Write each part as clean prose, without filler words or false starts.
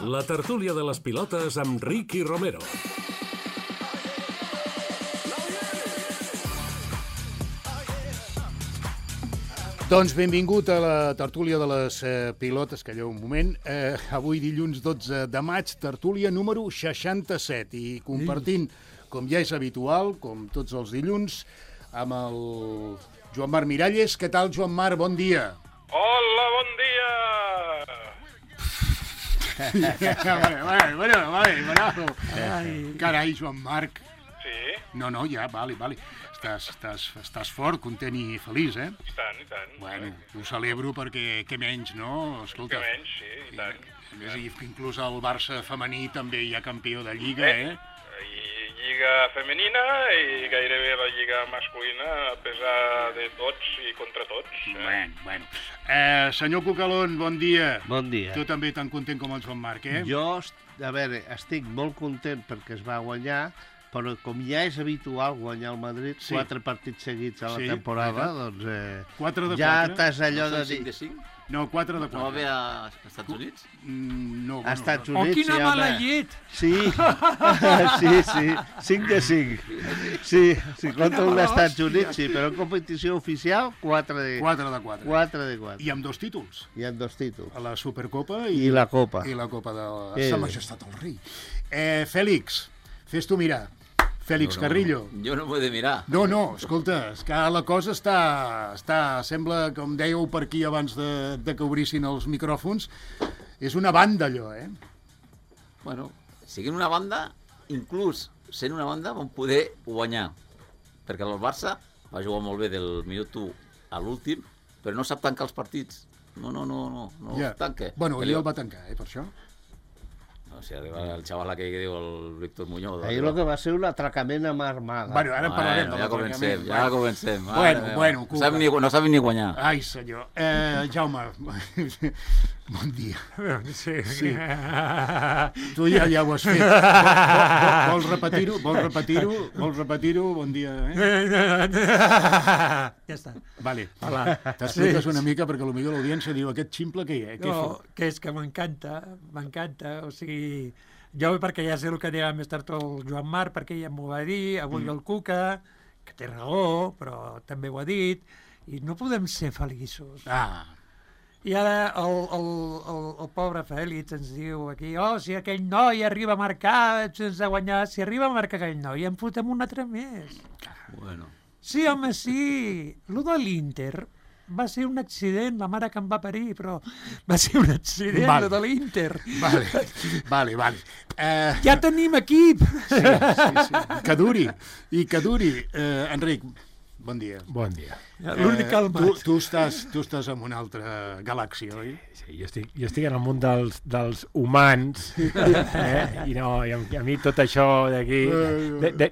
La tertúlia de les pilotes amb Ricky Romero. Doncs benvingut a la tertúlia de les pilotes, que allò un moment. Avui dilluns 12 de maig, tertúlia número 67, i compartint, com ja és habitual, com tots els dilluns, amb el Joan Marc Miralles. Què tal, Joan Marc? Bon dia. Hola, bon dia! Bueno. Carai, Joan Marc. Sí? No, ja, vale. Estàs fort, content i feliç, eh? I tant. Bueno, ho celebro perquè què menys, no? Escolta. Què menys, sí, i tant. A més, inclús el Barça femení també hi ha campió de Lliga, eh? I Lliga femenina i gairebé la Lliga masculina, a pesar de tots i contra tots. Bueno. Senyor Cucalón, bon dia. Bon dia. Tu també tan content com el Joan Marc, eh? Jo, a veure, estic molt content perquè es va guanyar, però com ja és habitual guanyar el Madrid, 4 partits seguits a la temporada, doncs 4 de 4. ja t'has allò de dir... 5 de 5? No, 4 de 4. No va bé a Estats Units? No, A Estats Units, Oh, quina mala llet! Sí, 5 de 5. Sí, contra un Estats Units, sí, però en competició oficial, 4 de 4. 4 de 4. I amb 2 títols. I amb 2 títols. A la Supercopa I la Copa. I la Copa de Sa Majestat el Rei. Fèlix, fes tu mirar. Fèlix Carrillo. Jo no m'ho he de mirar. No, escolta, és que la cosa està... Sembla, com dèieu per aquí abans de que obrissin els micròfons, és una banda, allò, eh? Bueno, siguin una banda, inclús sent una banda, vam poder guanyar. Perquè el Barça va jugar molt bé del minut 1 a l'últim, però no sap tancar els partits. No tanca. Bueno, ell el va tancar, per això. O sigui, arriba el xaval aquell que diu el Víctor Muñoz. Ahir el que va ser un atracament amb armada. Bueno, ara parlarem de l'atracament. Ja comencem. Bueno, Cuca. No saben ni guanyar. Ai, senyor. Jaume, bon dia. Sí. Tu ja ho has fet. Vols repetir-ho? Bon dia, Ja està. Vale. T'expliques una mica, perquè potser l'audiència diu aquest ximple què hi ha? No, que és que m'encanta, o sigui, jo perquè ja sé el que dirà més tard el Joan Marc, perquè ja m'ho va dir, avui el Cuca, que té raó, però també ho ha dit, i no podem ser feliços. I ara el pobre Fèlix ens diu aquí, si aquell noi arriba a marcar, sense guanyar, si arriba a marcar aquell noi, en fotem un altre més. Bueno. Sí, home, sí. Lo de l'Inter va ser un accident, la mare que em va parir, però va ser un accident, lo de l'Inter. Vale. Ja tenim equip! Sí. Que duri. Enric, bon dia. Bon dia. L'únic calmat. Tu estàs en una altra galàxia, oi? Sí, jo estic en el món dels humans, i a mi tot això d'aquí,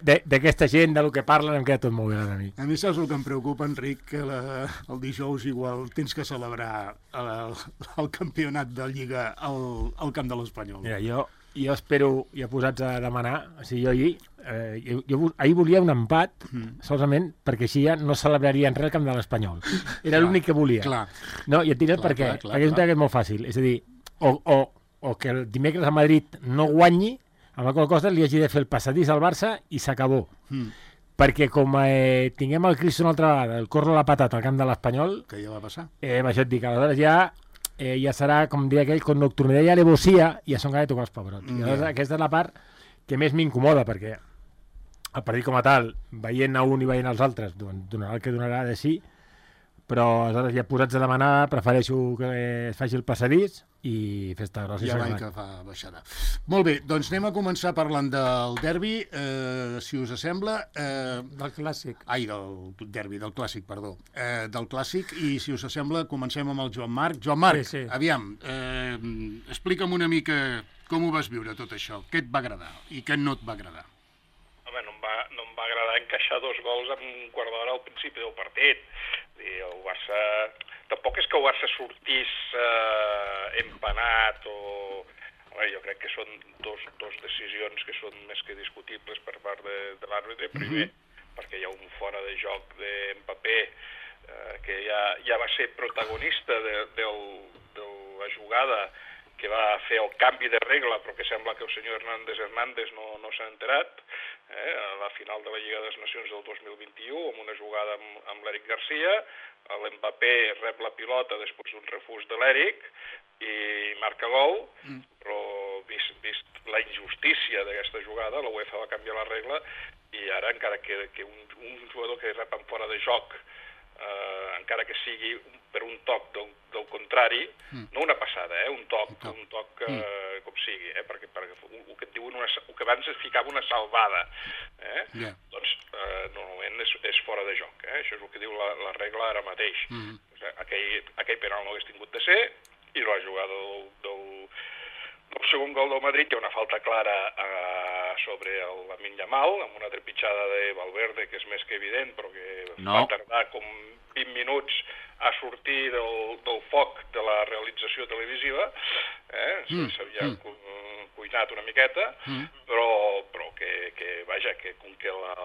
d'aquesta gent, del que parlen, em queda tot molt gran a mi. A mi saps el que em preocupa, Enric, que el dijous igual tens que celebrar el campionat de Lliga al camp de l'Espanyol. Mira, jo espero, ja posats a demanar, o sigui, jo ahir volia un empat, solament perquè així ja no celebrarien res al camp de l'Espanyol. Era l'únic que volia. Clar. No, i et diré per què. Perquè és que és molt fàcil. És a dir, o que el dimecres a Madrid no guanyi, amb la qual cosa li hagi de fer el passadís al Barça i s'acabó. Perquè com tinguem el Cristo una altra vegada, el corro a la patata al camp de l'Espanyol... Que ja va passar. Això et dic, aleshores ja serà, com diria aquell, con nocturnidad y alevosía, i a son gana de tocar els pebrots. I aleshores aquesta és la part que més m'incomoda, perquè el partit com a tal, veient a un i veient als altres, donarà el que donarà de sí, però aleshores ja posats a demanar, prefereixo que es faci el passadís i festa grossa. Ja l'any que fa baixada. Molt bé, doncs anem a començar parlant del derbi, si us sembla. Del clàssic. Ai, del derbi, del clàssic, perdó. Del clàssic, i si us sembla, comencem amb el Joan Marc. Joan Marc, sí. Aviam, explica'm una mica com ho vas viure tot això, què et va agradar i què no et va agradar. Home, no em va agradar encaixar 2 gols en un quart d'hora al principi del partit. El Barça... Tampoc és que el Barça sortís empanat o... Jo crec que són dos decisions que són més que discutibles per part de l'àrbitre. Primer, perquè hi ha un fora de joc de Mbappé que ja va ser protagonista de la jugada, que va fer el canvi de regla, però que sembla que el senyor Hernández no s'ha enterat, a la final de la Lliga de les Nacions del 2021, amb una jugada amb l'Eric Garcia, l'Mbappé rep la pilota després d'un refús de l'Eric i marca gol, però vist la injustícia d'aquesta jugada, la UEFA va canviar la regla i ara encara que un jugador que rep en fora de joc, encara que sigui per un toc del contrari, no una passada, un toc com sigui, perquè el que et diuen el que abans es ficava una salvada, doncs normalment és fora de joc, això és el que diu la regla ara mateix. Aquell penal no hagués tingut de ser, i la jugada del segon gol del Madrid hi ha una falta clara sobre el Lamine Yamal, amb una trepitjada de Valverde, que és més que evident, però que va tardar com 20 minuts a sortir del foc de la realització televisiva, s'havia cuinat una miqueta, però que vaja, que com que la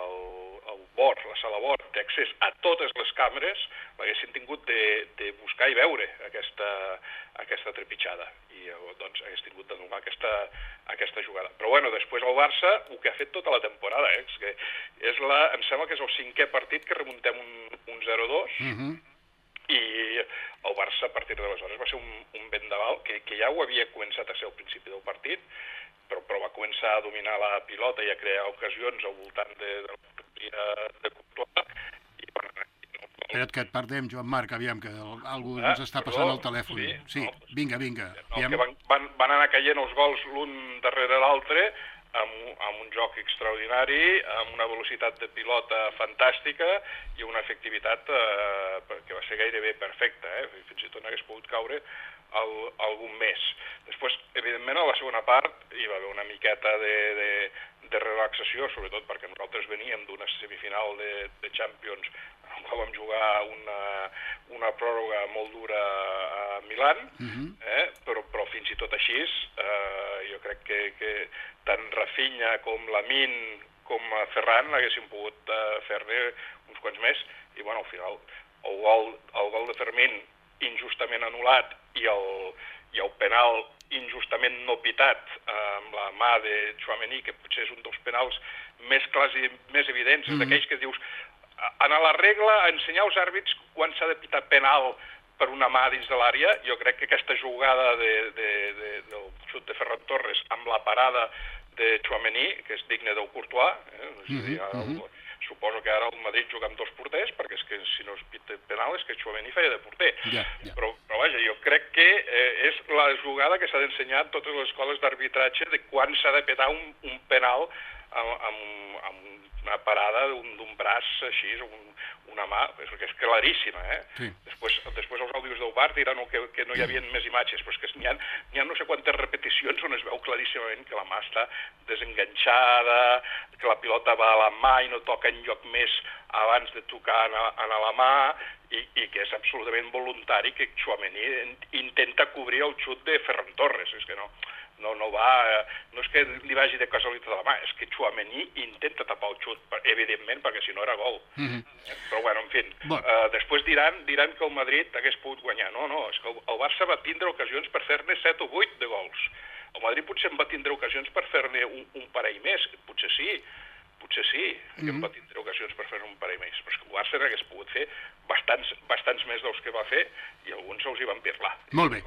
sala bord té accés a totes les càmeres, l'haguessin tingut de buscar i veure aquesta trepitjada, i doncs hagués tingut d'anul·lar aquesta jugada. Però bueno, després el Barça, el que ha fet tota la temporada, és que em sembla que és el 5è partit que remuntem un 0-2, i el Barça a partir d'aleshores va ser un vendaval que ja ho havia començat a ser al principi del partit, però va començar a dominar la pilota i a crear ocasions al voltant de Courtois. Espera't que et perdem, Joan Marc, aviam, que algú ens està passant al telèfon. Sí, vinga. Que van anar caient els gols l'un darrere l'altre, amb un joc extraordinari, amb una velocitat de pilota fantàstica i una efectivitat que va ser gairebé perfecta, fins i tot n'hagués pogut caure algun més. Després, evidentment, a la segona part hi va haver una miqueta de relaxació, sobretot perquè nosaltres veníem d'una semifinal de Champions en què vam jugar una pròrroga molt dura a Milan, però fins i tot així jo crec que tant Rafinha com Lamine com Ferran haguessin pogut fer-ne uns quants més, i bueno, al final el gol de Fermín injustament anul·lat i el penal injustament no pitat amb la mà de Tchouaméni, que potser és un dels penals més clars i més evidents, és d'aquells que dius, en la regla, ensenyar als àrbits quan s'ha de pitar penal per una mà dins de l'àrea. Jo crec que aquesta jugada del xut de Ferran Torres amb la parada de Tchouaméni, que és digne del Courtois, és a dir, suposo que ara el Madrid juga amb 2 porters, perquè és que si no es pita penal és que Tchouaméni feia de porter. Però vaja, jo crec que és la jugada que s'ha d'ensenyar a totes les escoles d'arbitratge de quan s'ha de petar un penal amb una parada d'un braç així, una mà, perquè és claríssima, Després els àudios del VAR diran que no hi havia més imatges, però és que n'hi ha no sé quantes repeticions on es veu claríssimament que la mà està desenganxada, que la pilota va a la mà i no toca enlloc més abans de tocar a la mà, i que és absolutament voluntari que Tchouaméni intenta cobrir el xut de Ferran Torres. És que no és que li vagi de casualitat a la mà, és que Tchouaméni intenta tapar el xut, evidentment, perquè si no era gol. Però bueno, en fi, després diran que el Madrid hagués pogut guanyar. No, és que el Barça va tindre ocasions per fer-ne 7 o 8 de gols. El Madrid potser en va tindre ocasions per fer-ne un parell més, potser sí que en va tindre ocasions per fer un parell més, però és que el Barça n'hagués pogut fer bastants més dels que va fer, i alguns se'ls hi van pirlar. Molt bé.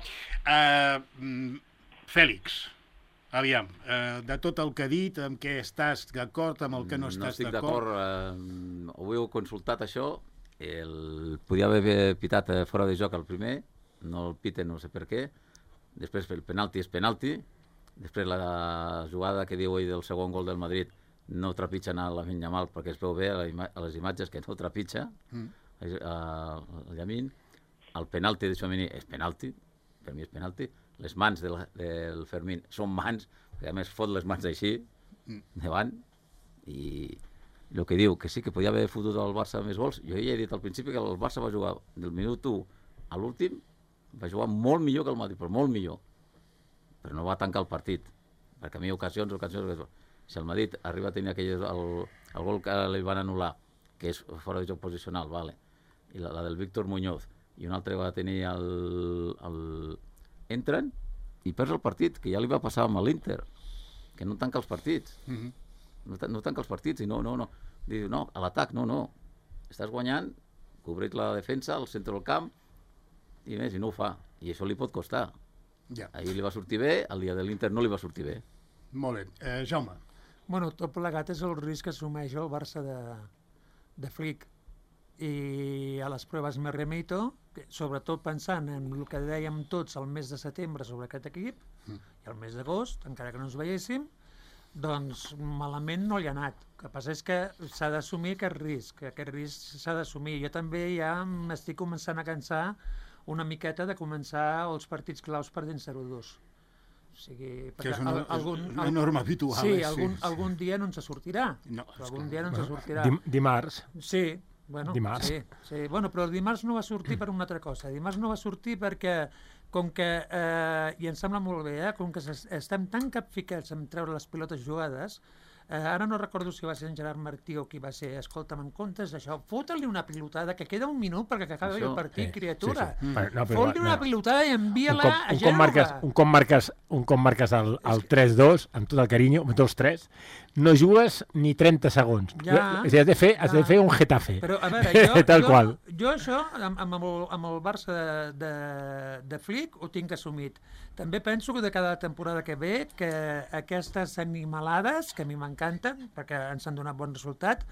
Fèlix, aviam, de tot el que ha dit, amb què estàs d'acord, amb el que no estàs d'acord? No estic d'acord, ho heu consultat això, podia haver pitat fora de joc el primer, no el piten, no sé per què, després el penalti és penalti, després la jugada que diu ell del segon gol del Madrid no trepitgen a Lamine Yamal perquè es veu bé a les imatges que no trepitja el Lamine. El penalti de Tchouaméni és penalti, per mi és penalti. Les mans del Fermín són mans, perquè a més fot les mans així davant, i el que diu que sí que podia haver fotut al Barça més gols. Jo ja he dit al principi que el Barça va jugar del minut 1 a l'últim, va jugar molt millor que el Madrid, però molt millor, però no va tancar el partit, perquè a mi ocasions. Si el Madrid arriba a tenir el gol que li van anul·lar, que és fora de joc posicional, vale, i la del Víctor Muñoz, i un altre va tenir entren, i perds el partit, que ja li va passar amb l'Inter, que no tanca els partits. No tanca els partits, i no. Diu, no, a l'atac, no. Estàs guanyant, cobreix la defensa, al centre del camp, i més, i no ho fa. I això li pot costar. Ahir li va sortir bé, el dia de l'Inter no li va sortir bé. Molt bé. Jaume. Bueno, tot plegat és el risc que assumeix el Barça de Flick. I a les proves me remito, sobretot pensant en el que dèiem tots el mes de setembre sobre aquest equip, i el mes d'agost, encara que no ens veiéssim, doncs malament no li ha anat. El que passa és que s'ha d'assumir aquest risc s'ha d'assumir. Jo també ja m'estic començant a cansar una miqueta de començar els partits claus perdent 0-2. O sigui, que és una norma habitual. Sí, algun dia no ens sortirà. Algun dia no ens sortirà. Dimarts. Sí, bueno, dimarts. Sí. Bueno, però el dimarts no va sortir per una altra cosa. Dimarts no va sortir perquè, com que, i em sembla molt bé, com que estem tan capficats en treure les pilotes jugades, ara no recordo si va ser en Gerard Martí o qui va ser, escolta'm, en comptes d'això, fota-li una pilotada, que queda un minut perquè acabi el partit, criatura. Fot-li una pilotada i envia-la a Gènova. Un cop marques el 3-2, amb tot el carinyo, amb tots 3, no jugues ni 30 segons. Has de fer un Getafe. Però, a veure, tal qual. Jo això, amb el Barça de Flick, ho tinc assumit. També penso que de cada temporada que ve, que aquestes animalades, que a mi m'encanten, perquè ens han donat bon resultat,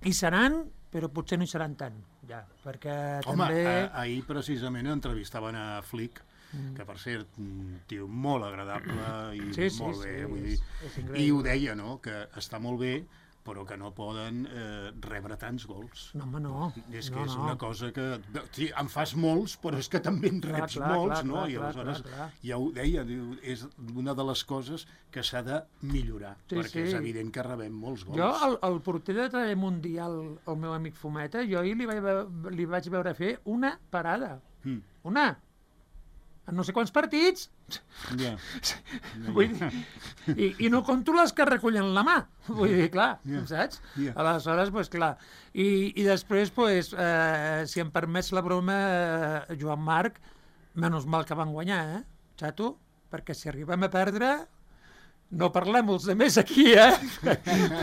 hi seran, però potser no hi seran tant. Perquè també... Ahir precisament entrevistaven a Flick, que per cert, un tio molt agradable i molt bé, vull dir, i ho deia, no?, que està molt bé, però que no poden rebre tants gols. No, home, no. És que és una cosa que... En fas molts, però és que també en reps molts, no? I aleshores, ja ho deia, és una de les coses que s'ha de millorar, perquè és evident que rebem molts gols. Jo, el porter de Tele Mundial, el meu amic Fumeta, jo ahir li vaig veure fer una parada. Una! En no sé quants partits. Vull dir, i no conto les que recullen la mà. Vull dir, clar, saps? Aleshores, doncs clar. I després, si em permets la broma, Joan Marc, menys mal que van guanyar, xato? Perquè si arribem a perdre, no parlem els altres aquí,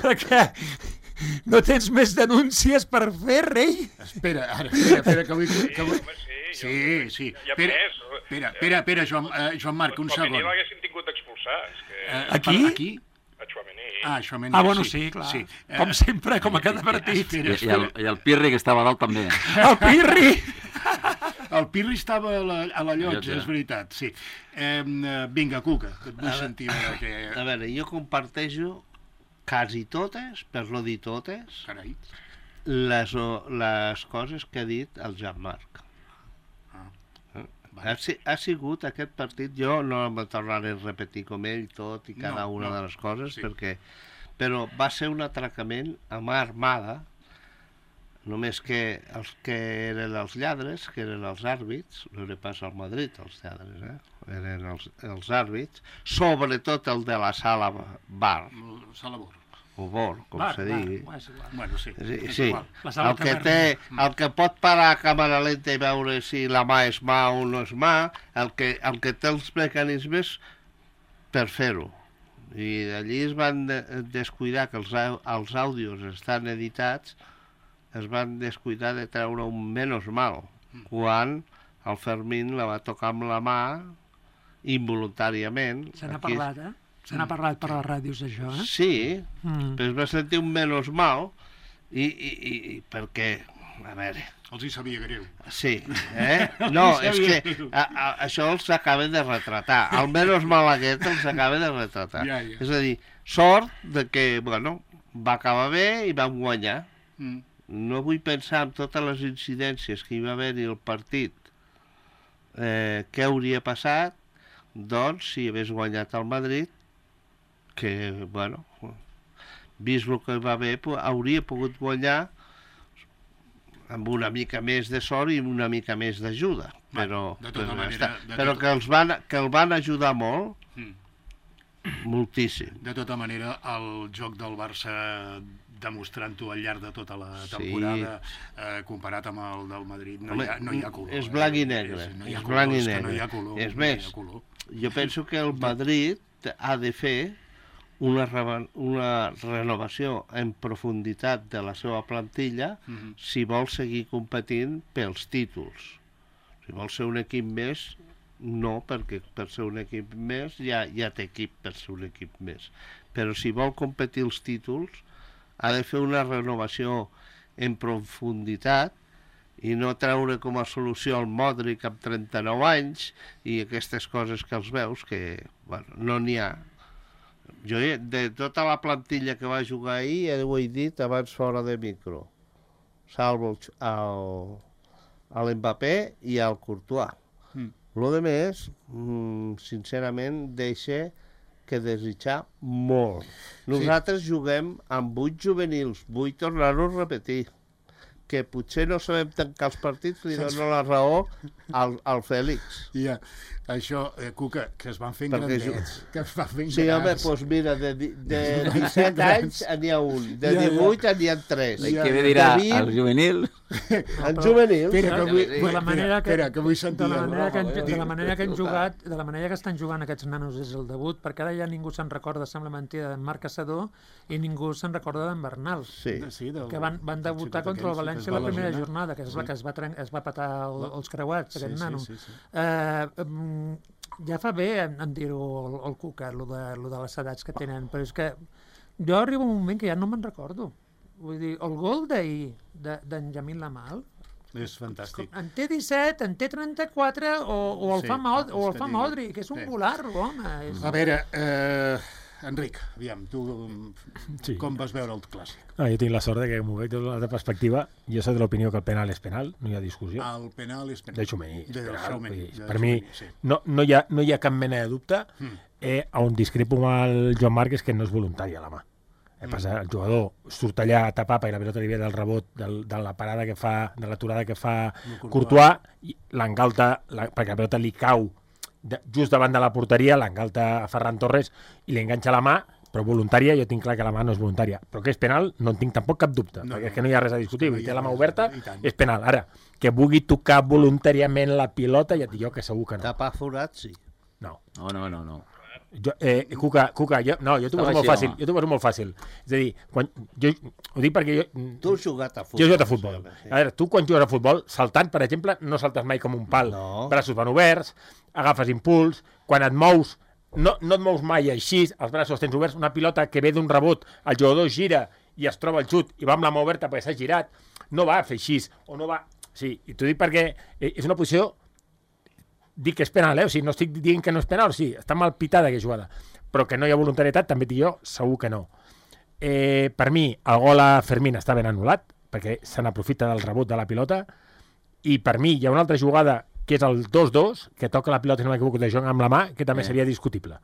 perquè no tens més denúncies per fer, rei? Espera, que vull... Sí. Espera, Joan Marc, un segon. Chouameni l'haguessin tingut d'expulsar. Aquí? A Chouameni. Chouameni. Bueno, sí, clar. Com sempre, com a cada partit. I el Pirri, que estava dalt, també. El Pirri! El Pirri estava a la llotja, és veritat, sí. Vinga, Cuca, que et vull sentir. A veure, jo comparteixo quasi totes, per no dir totes, les coses que ha dit el Joan Marc. Ha sigut aquest partit, jo no em tornaré a repetir com ell tot i cada una de les coses, però va ser un atracament a mà armada, només que els que eren els lladres, que eren els àrbits, no era pas al Madrid els lladres, eren els àrbits, sobretot el de la sala bar. Sala Bor. O Bor, com se digui. Bueno, sí. El que pot parar a càmera lenta i veure si la mà és mà o no és mà, el que té els mecanismes per fer-ho. I allí es van descuidar que els àudios estan editats, es van descuidar de treure un menys mal, quan el Fermín la va tocar amb la mà involuntàriament. Se n'ha parlat, Se n'ha parlat per les ràdios, això, Sí, però es va sentir un menys mal i perquè, a veure... Els hi sabia greu. Sí, No, és que això els acaba de retratar. El menys mal aquest els acaba de retratar. És a dir, sort de que, bueno, va acabar bé i vam guanyar. No vull pensar en totes les incidències que hi va haver-hi al partit, què hauria passat, doncs, si hagués guanyat el Madrid, que, bueno, vist el que va haver, hauria pogut guanyar amb una mica més de sort i una mica més d'ajuda, però que el van ajudar molt, moltíssim. De tota manera, el joc del Barça demostrant-ho al llarg de tota la temporada, comparat amb el del Madrid, no hi ha color. És blanc i negre. No hi ha color. És més, jo penso que el Madrid ha de fer una renovació en profunditat de la seva plantilla si vol seguir competint pels títols. Si vol ser un equip més, no, perquè per ser un equip més ja té equip per ser un equip més. Però si vol competir els títols, ha de fer una renovació en profunditat i no treure com a solució el Modric amb 39 anys i aquestes coses que els veus que, bueno, no n'hi ha. Jo, de tota la plantilla que va jugar ahir, ho he dit abans fora de micro, salvo l'Mbappé i el Courtois. Lo de més, sincerament, deixa que desitjar molt. Nosaltres juguem amb 8 juvenils, vull tornar-ho a repetir, que potser no sabem tancar els partits, li dono la raó al Fèlix. Ja, això, Cuca, que es van fent grandets. Que es van fent sí, home, doncs mira, de 17 anys n'hi ha un, de 18 n'hi ha 3. Què ve dirà el juvenil? En juvenil. De la manera que vull sentir... De la manera que han jugat, de la manera que estan jugant aquests nanos és el debut, perquè ara ja ningú se'n recorda, sembla mentida, d'en Marc Caçador i ningú se'n recorda d'en Bernal. Sí. Que van debutar contra el València la primera jornada, que és la que es va patar els creuats, aquest nano. Ja fa bé en dir-ho el Cuca, lo de les edats que tenen, però és que jo arriba un moment que ja no me'n recordo. Vull dir, el gol d'ahir d'en Jamil Lamal és fantàstic. En té 17, en té 34, o el fa Modri, que és un volar, home. A veure, Enric, aviam, tu com vas veure el clàssic? Jo tinc la sort que m'ho veig de l'altra perspectiva. Jo soc de l'opinió que el penal és penal, no hi ha discussió. El penal és penal. De Txomení. Per mi no hi ha cap mena de dubte. On discrepo amb el Joan Marc és que no és voluntari a la mà. El jugador surt allà a tapar perquè la pilota li ve del rebot de la parada que fa, de l'aturada que fa Courtois, i l'engalta perquè la pilota li cau just davant de la porteria, l'engalta a Ferran Torres i li enganxa la mà, però voluntària, jo tinc clar que la mà no és voluntària. Però que és penal no en tinc tampoc cap dubte, perquè és que no hi ha res a discutir. Té la mà oberta, és penal. Ara, que vulgui tocar voluntàriament la pilota, ja et dic jo que segur que no. Tapar forat, sí. No. No. Cuca, jo t'ho poso molt fàcil. Jo t'ho poso molt fàcil. És a dir, ho dic perquè jo... Tu has jugat a futbol. Jo he jugat a futbol. A veure, tu quan jugues a futbol, saltant, per exemple, no saltes mai com un pal. Braços van oberts, agafes impuls, quan et mous, no et mous mai així, els braços tens oberts, una pilota que ve d'un rebot, el jugador gira i es troba el xut i va amb la mà oberta perquè s'ha girat, no va a fer així, o no va... Sí, i t'ho dic perquè és una posició... Dic que és penal, o sigui, no estic dient que no és penal, sí, està mal pitada aquesta jugada, però que no hi ha voluntarietat, també dic jo, segur que no. Per mi, el gol a Fermín està ben anul·lat, perquè se n'aprofita del rebot de la pilota, i per mi hi ha una altra jugada, que és el 2-2, que toca la pilota, si no m'equivoco, de Jong amb la mà, que també seria discutible,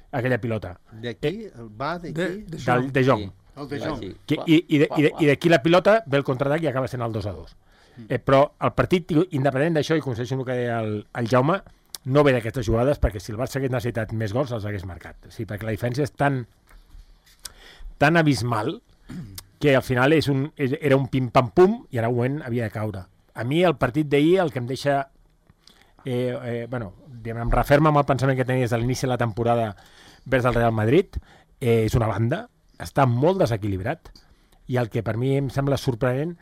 aquella pilota. De qui? Va de qui? De Jong. El de Jong. I d'aquí la pilota ve el contraatac i acaba sent el 2-2. Però el partit, independent d'això, i concedeixo el que deia el Jaume, no ve d'aquestes jugades, perquè si el Barça hagués necessitat més gols, els hagués marcat. Sí, perquè la diferència és tan abismal que al final era un pim-pam-pum i ara un moment havia de caure. A mi el partit d'ahir el que em deixa... em referma amb el pensament que tenies a l'inici de la temporada vers el Real Madrid, és una banda, està molt desequilibrat, i el que per mi em sembla sorprenent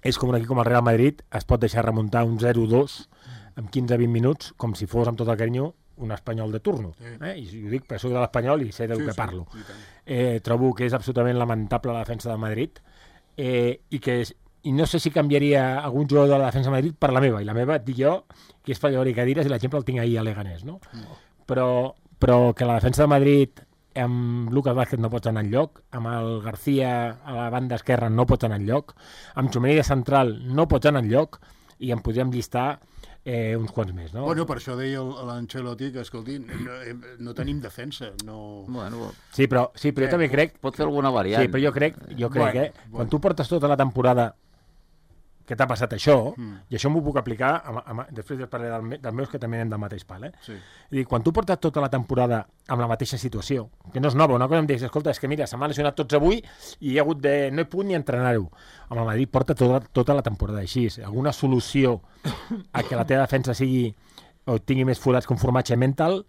és com un equip com el Real Madrid es pot deixar remuntar un 0-2 en 15-20 minuts, com si fos amb tot el carinyo un espanyol de turno. I ho dic perquè soc de l'Espanyol i sé del que parlo. Trobo que és absolutament lamentable la defensa del Madrid i no sé si canviaria algun jugador de la defensa de Madrid per la meva, i la meva et dic jo que és Fallador i Cadires, i l'exemple el tinc ahir a Leganés, no? Però que la defensa de Madrid amb Lucas Vázquez no pots anar enlloc, amb el García a la banda esquerra no pots anar enlloc, amb Txomení de central no pots anar enlloc, i en podríem llistar uns quants més, no? Bueno, per això deia l'Ancelotti que, escolti, no tenim defensa, no... Bueno, sí, però jo també crec... Pot fer alguna variant. Sí, però jo crec quan tu portes tota la temporada que t'ha passat això, i això m'ho puc aplicar, després parlaré dels meus, que també anem del mateix pal, Sí. És dir, quan tu portes tota la temporada amb la mateixa situació, que no és nova, una cosa em dius, escolta, és que mira, se m'han lesionat tots avui i hi ha hagut no he pogut ni entrenar-ho. Amb el Madrid porta tota la temporada així. Alguna solució a que la teva defensa sigui o tingui més forats que un formatge mental,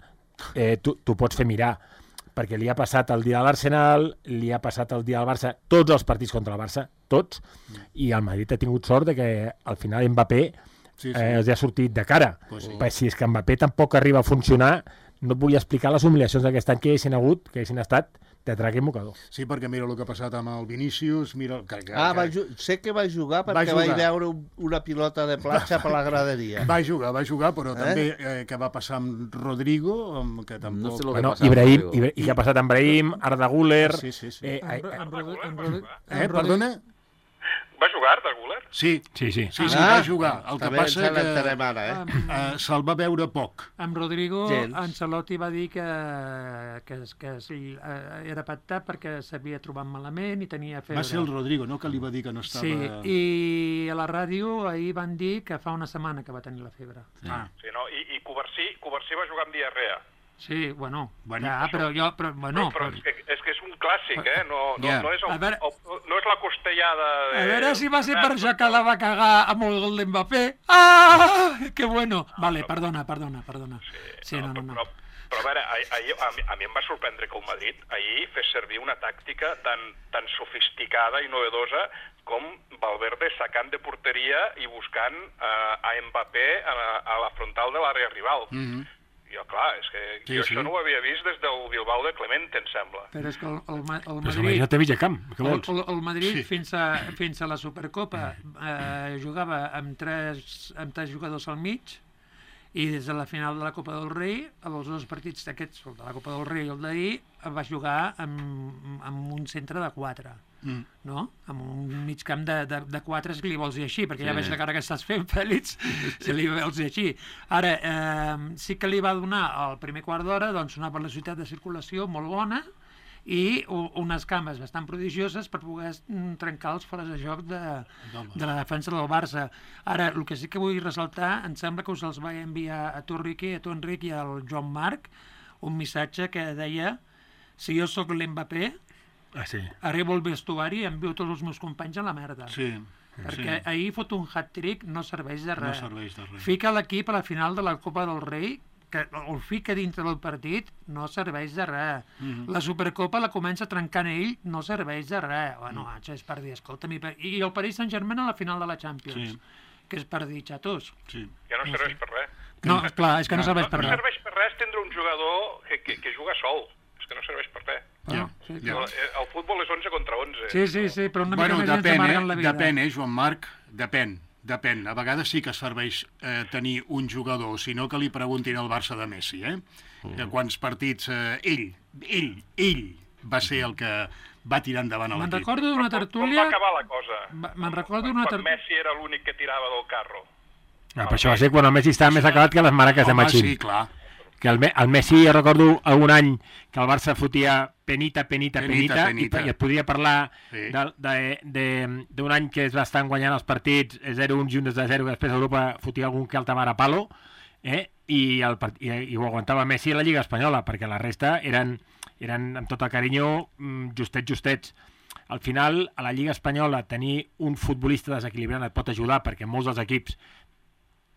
tu pots fer mirar. Perquè li ha passat el dia de l'Arsenal, li ha passat el dia del Barça, tots els partits contra el Barça, tots, i el Madrid ha tingut sort de que al final Mbappé els ha sortit de cara. Si és que Mbappé tampoc arriba a funcionar, no et vull explicar les humiliacions d'aquest any que haguessin estat de trac i mocador. Sí, perquè mira el que ha passat amb el Vinícius... Sé que va jugar perquè vaig veure una pilota de platja per la graderia. Va jugar, però també que va passar amb Rodrigo, que tampoc... Ibrahim, i què ha passat amb Ibrahim, Arda Güler... Perdona? Va jugar Arda Güler? Sí, va jugar. El que passa que se'l va veure poc. Amb Rodrigo, Ancelotti va dir que era pactat perquè s'havia trobat malament i tenia febre. Va ser el Rodrigo, no? Que li va dir que no estava... Sí, i a la ràdio ahir van dir que fa una setmana que va tenir la febre. Sí, no? I Covarsí va jugar amb diarrea. Sí, bueno, però és que és un clàssic, no és la costellada de... A veure si va ser per això que la va cagar amb el gol d'Mbappé. Que bueno. Vale, perdona. Sí, no. Però a veure, a mi em va sorprendre que el Madrid ahir fes servir una tàctica tan sofisticada i novedosa com Valverde sacant de porteria i buscant a Mbappé a la frontal de l'àrea rival. Jo, clar, és que jo això no ho havia vist des del Bilbao de Clemente, em sembla. Però és que el Madrid... Però imagina't a mig camp, què vols? El Madrid, fins a la Supercopa, jugava amb tres jugadors al mig, i des de la final de la Copa del Rei, els dos partits d'aquests, el de la Copa del Rei i el d'ahir, va jugar amb un centre de 4. No? Amb un mig camp de 4, si li vols dir així, perquè ja veig la cara que estàs fent, Fèlix, si li vols dir així. Ara, sí que li va donar al primer quart d'hora una velocitat de circulació molt bona i unes cames bastant prodigioses per poder trencar els fores de joc de la defensa del Barça. Ara, el que sí que vull ressaltar, em sembla que us els vaig enviar a tu, Riqui, a tu, Enric, i al Joan Marc, un missatge que deia: si jo sóc l'Mbappé, arribo al vestuari i envio tots els meus companys a la merda. Perquè ahir fot un hat-trick, no serveix de res. Fica l'equip a la final de la Copa del Rei, que el fica dintre del partit, no serveix de res. La Supercopa la comença trencant ell, no serveix de res. Bueno, és per dir, escolta'm, i el Paris Saint-Germain a la final de la Champions, que és per dir, xatos. Ja no serveix per res. No, clar, és que no serveix per res. No serveix per res tindre un jugador que juga sol. És que no serveix per res. El futbol és 11 contra 11. Sí, però una mica més ens amarguen la vida. Depèn, Joan Marc, depèn. A vegades sí que serveix tenir un jugador, sinó que li preguntin al Barça de Messi, de quants partits ell va ser el que va tirar endavant a l'equip. Me'n recordo d'una tertúlia... Com va acabar la cosa? Me'n recordo d'una tertúlia... Quan Messi era l'únic que tirava del carro. Per això va ser quan el Messi estava més acabat que les maraques de Machín. Sí, clar. Que el Messi, jo recordo algun any que el Barça fotia penita, i et podria parlar d'un any que es va estar guanyant els partits 0-1 i 1-0, que després Europa fotia algun que alta vara palo, i ho aguantava Messi a la Lliga Espanyola, perquè la resta eren amb tot el carinyo justets. Al final, a la Lliga Espanyola, tenir un futbolista desequilibrant et pot ajudar, perquè molts dels equips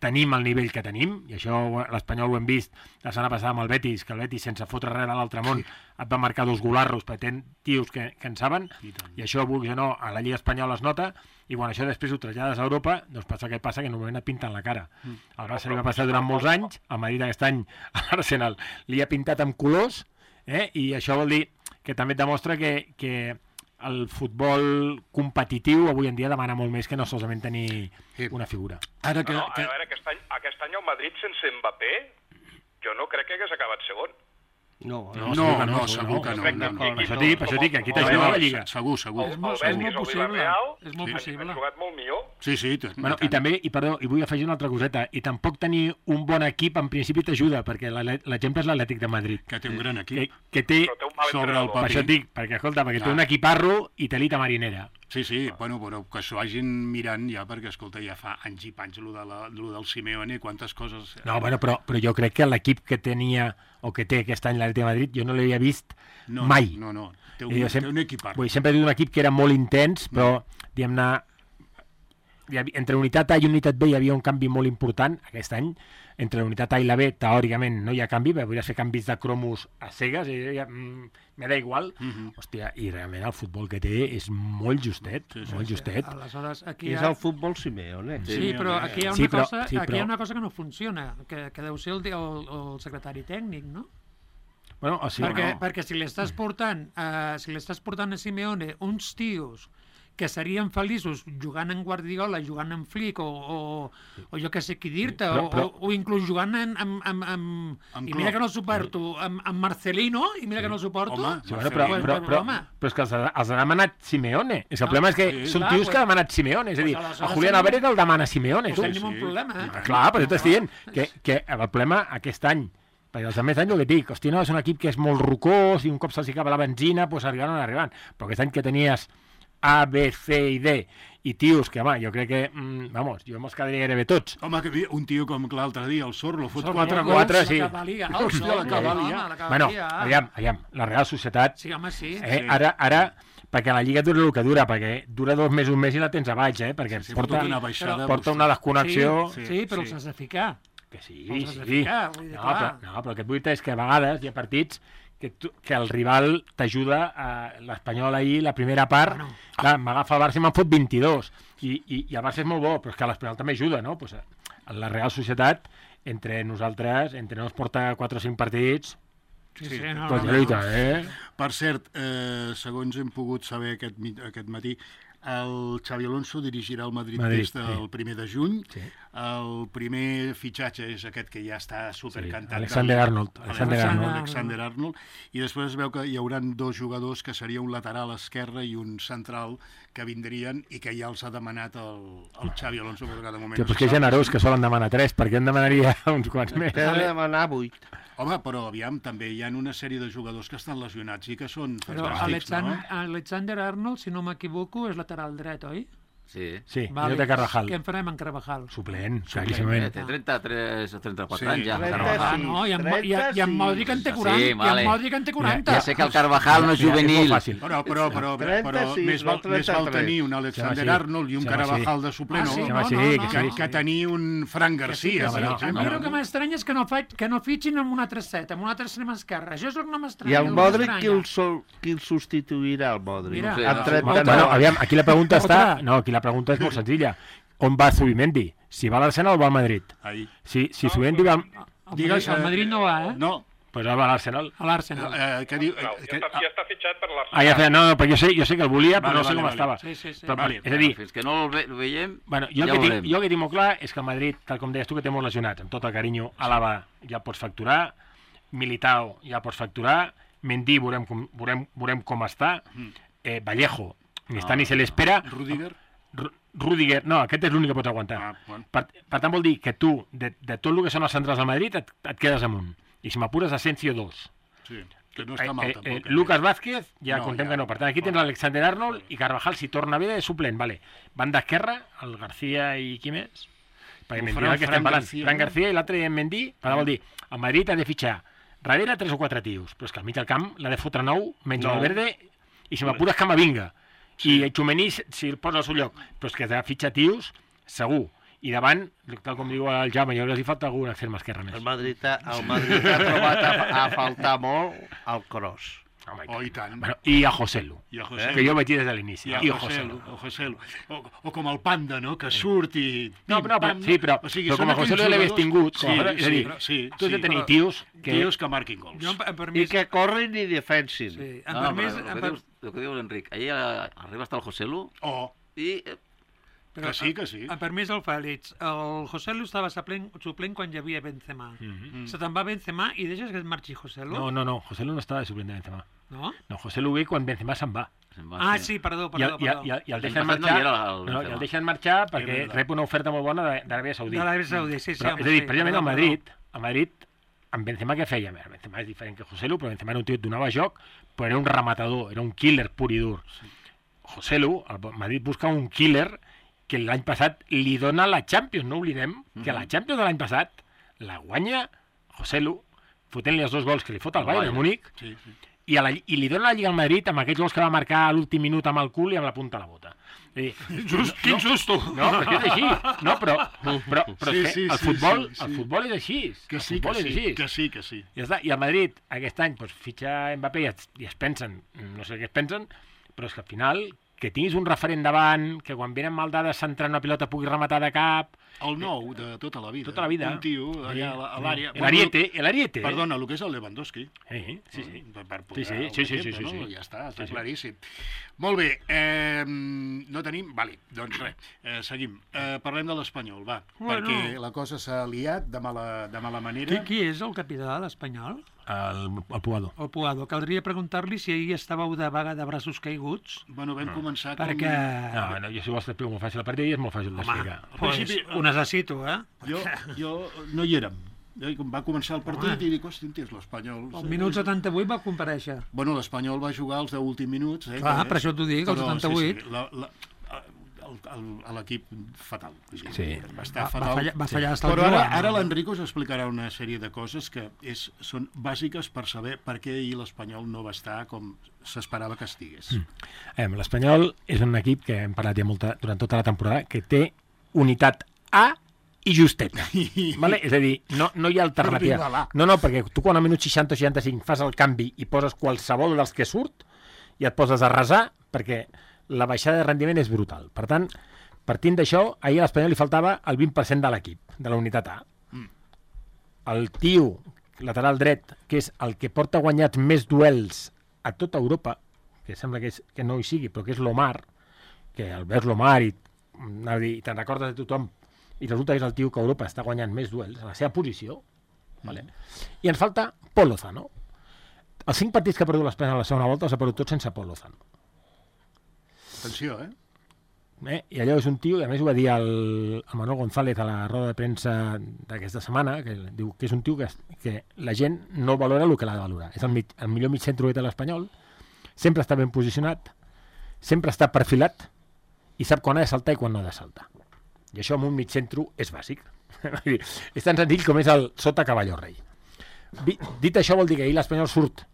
tenim el nivell que tenim, i això l'Espanyol ho hem vist la setmana passada amb el Betis, que el Betis, sense fotre res a l'altre món, et va marcar 2 golarros, perquè tenen tios que en saben, i això, vulguis o no, a la Lliga Espanyola es nota, i quan això després ho trasllades a Europa, doncs passa el que passa, que normalment et pinten la cara. El Barça li va passar durant molts anys, el Madrid aquest any, a l'Arsenal, li ha pintat amb colors, i això vol dir que també et demostra que el futbol competitiu avui en dia demana molt més que no solament tenir una figura. A veure, aquest any el Madrid sense Mbappé, jo no crec que hagués acabat segon. No, segur que no. Per això dic, aquí t'ajuda la Lliga. Segur. El Betis o Villarreal han jugat molt millor. Sí. I també, i vull afegir una altra coseta, i tampoc tenir un bon equip en principi t'ajuda, perquè l'exemple és l'Atlètic de Madrid. Que té un gran equip. Que té sobre el paper. Per això et dic, perquè té un equiparro i telita marinera. Sí, bueno, però que s'ho hagin mirant ja, perquè, escolta, ja fa anys i panys lo del Simeone, quantes coses... No, bueno, però jo crec que l'equip que tenia, o que té aquest any l'Atlètic de Madrid, jo no l'havia vist mai. No, té un equipar. Sempre he dit un equip que era molt intens, però, diguem-ne, entre unitat A i unitat B hi havia un canvi molt important aquest any. Entre la unitat A i la B, teòricament, no hi ha canvi, però podries fer canvis de cromos a cegues, i me da igual. Hòstia, i realment el futbol que té és molt justet, molt justet. Aleshores, és el futbol Simeone. Sí, però aquí hi ha una cosa que no funciona, que deu ser el secretari tècnic, no? Bueno, o sigui, perquè si li estàs portant a Simeone uns tios que serien feliços jugant en Guardiola, jugant en Flick, o jo que sé qui dir-te, o inclús jugant i mira que no suporto, amb Marcelino, i mira que no suporto. Però és que els ha demanat Simeone. El problema és que són tios que ha demanat Simeone. És a dir, a Julián Álvarez el demana Simeone. Pues tenim un problema. Clar, però t'estic dient que el problema aquest any, perquè els altres anys el que dic, hòstia, no, és un equip que és molt rocós i un cop se'ls acaba la benzina, doncs arribaran. Però aquest any que tenies A, B, C i D, i tios que, home, jo crec que, jo me'ls quedaria gairebé tots. Home, que un tio com l'altre dia, el Sorlo, fot 4 gols. Sí. Hòstia, la Cavalia. Bueno, aviam, la Real Societat... Sí, home, sí. Ara, perquè la Lliga dura el que dura, perquè dura 2 mesos més i la tens a baix, perquè porta una desconnexió... Sí, però els has de ficar. Que sí. No, però el que et vull dir és que a vegades hi ha partits que el rival t'ajuda, l'Espanyol ahir, la primera part, clar, m'agafa el Barça i me'n fot 22, i el Barça és molt bo, però és que l'Espanyol també ajuda, no? Pues, la Real Societat, entre nosaltres porta 4 o 5 partits... Sí, Per cert, segons hem pogut saber aquest matí, el Xabi Alonso dirigirà el Madrid des del 1 de juny. El primer fitxatge és aquest que ja està supercantat. Alexander Arnold. I després es veu que hi hauran 2 jugadors, que seria un lateral esquerre i un central, que vindrien i que ja els ha demanat el Xabi Alonso, però que de moment... Però que generós, que solen demanar 3, perquè en demanaria uns quants més. T'ha de demanar 8. Home, però aviam, també hi ha una sèrie de jugadors que estan lesionats i que són fantàstics, no? Alexander Arnold, si no m'equivoco, és lateral dret, oi? Sí, vale. De Carvajal. Què en farem en Carvajal? Suplent, claríssimament. Té 33 o 34 anys ja. No, i en Modric en té 40. Sí, vale. I en Modric en té 40. Ja sé que el Carvajal no és juvenil. Però més val tenir un Alexander Arnold i un Carvajal de suplent que tenir un Fran García. A mi el que m'estranya és que no fitxin amb un altre set, amb un altre extrem esquerre. Això és el que no m'estranya. I el Modric, qui el substituirà, el Modric? Aviam, aquí la pregunta està... No, aquí la pregunta és molt senzilla. On va Zubimendi? Si va a l'Arsenal o va al Madrid? Si Zubimendi va... Al Madrid no va, No, pues va a l'Arsenal. A l'Arsenal. Ja està fitxat per l'Arsenal. No, però jo sé que el volia, però no sé com estava. Sí. És a dir... Fins que no el veiem, jo el que tinc molt clar és que el Madrid, tal com deies tu, que té molts lesionats, amb tot el carinyo, Álava ja pots facturar, Militao ja pots facturar, Mendy veurem com està, Vallejo, ni està ni se l'espera. Rudiger, no, aquest és l'únic que pots aguantar. Per tant, vol dir que tu, de tot el que són els centrals del Madrid, et quedes amunt. I si m'apures, Asensio 2. Sí, que no està mal tampoc. Lucas Vázquez, ja contem que no. Per tant, aquí tens l'Alexander Arnold i Carvajal, si torna bé, de suplent. Van d'esquerra, el García i qui més? Perquè Mendy, el que estem parlant. Fran García i l'altre Mendy. Vol dir, el Madrid ha de fitxar darrere 3 o 4 tios, però és que al mig del camp l'ha de fotre 9, menys Valverde, i si m'apures, Camavinga. I Txumení, si el posa al seu lloc, però és que ha de fitxar tios, segur. I davant, tal com diu el Jaume, jo els hi falta algun extrem esquerre més. El Madrid ha trobat a faltar molt el Kroos. I tant. I a Joselu, que jo vaig dir des de l'inici. I a Joselu. O com el Panda, no?, que surt i... No, però com a Joselu l'havies tingut, és a dir, tu has de tenir tios que marquin gols. I que corrin i defensin. El que diu l'Enric, ahir arriba hasta el Joselu i... Que sí. A permís del Fèlix, el Joselu estava suplent quan hi havia Benzema. Se te'n va Benzema i deixes que et marxi Joselu? No, Joselu no estava de suplent de Benzema. No? No, Joselu ve quan Benzema se'n va. Sí, perdó. I el deixen marxar perquè rep una oferta molt bona d'Aràbia Saudita. Sí. És a dir, precisament al Madrid, amb Benzema què feia? Benzema és diferent que Joselu, però Benzema era un tio que donava joc, però era un rematador, era un killer pur i dur. Joselu, el Madrid busca un killer que l'any passat li dona la Champions, no oblidem que la Champions de l'any passat la guanya Joselu, fotent-li els 2 gols que li fot al Bayern de Múnich, I li dona la Lliga al Madrid amb aquests gols que va marcar a l'últim minut amb el cul i amb la punta a la bota. Quin susto! No, però és així. No, però el futbol és així. Que sí. Ja està. I el Madrid, aquest any, fitxa Mbappé i es pensen, no sé què es pensen, però és que al final, que tinguis un referent davant, que quan venen mal dades centrant una pilota pugui rematar de cap... El nou de tota la vida. Tota la vida. Un tio allà a l'àrea... L'Ariete. Perdona, el que és el Lewandowski. Sí. Per posar Sí. Ja està claríssim. Molt bé, no tenim... Vale, doncs res, seguim. Parlem de l'Espanyol, va, perquè la cosa s'ha liat de mala manera. Qui és el capità de l'Espanyol? El Puado. El Puado. Caldria preguntar-li si ahir estàveu de vaga de braços caiguts. Bueno, vam començar... Perquè... No, jo si vols t'explico molt fàcil. A partir d'ahir és molt fàcil d'explicar. Pues ho necessito, Jo no hi érem. Va començar el partit i dic, hosti, l'Espanyol... El minut 78 va comparèixer. Bueno, l'Espanyol va jugar els 10 últims minuts. Clar, per això t'ho dic, el 78. L'equip fatal. Sí. Va estar fatal. Va fallar hasta Però ara l'Enrico us explicarà una sèrie de coses que són bàsiques per saber per què ahir l'Espanyol no va estar com s'esperava que estigués. L'Espanyol és un equip que hem parlat ja durant tota la temporada, que té unitat A i justeta. Vale? És a dir, no hi ha alternativa. No, perquè tu quan a minut 60 o 65 fas el canvi i poses qualsevol dels que surt i et poses a resar perquè la baixada de rendiment és brutal. Per tant, partint d'això, ahir a l'Espanyol li faltava el 20% de l'equip, de la unitat A. El tio lateral dret, que és el que porta guanyats més duels a tota Europa, que sembla que no hi sigui, però que és l'Omar, que el veus l'Omar i te'n recordes de tothom, i resulta que és el tio que a Europa està guanyant més duels a la seva posició. Vale? I ens falta Pol Lozano. Els 5 partits que ha perdut l'Espanyol a la segona volta els ha perdut tots sense Pol Lozano. Atenció, I allò és un tio, i a més ho va dir el Manuel González a la roda de premsa d'aquesta setmana, que diu que és un tio que la gent no valora el que l'ha de valorar. És el millor mig centre de l'Espanyol, sempre està ben posicionat, sempre està perfilat i sap quan ha de saltar i quan no ha de saltar. I això amb un mig centre és bàsic. És tan senzill com és el sota cavalló rei. Dit això vol dir que ahir l'Espanyol surt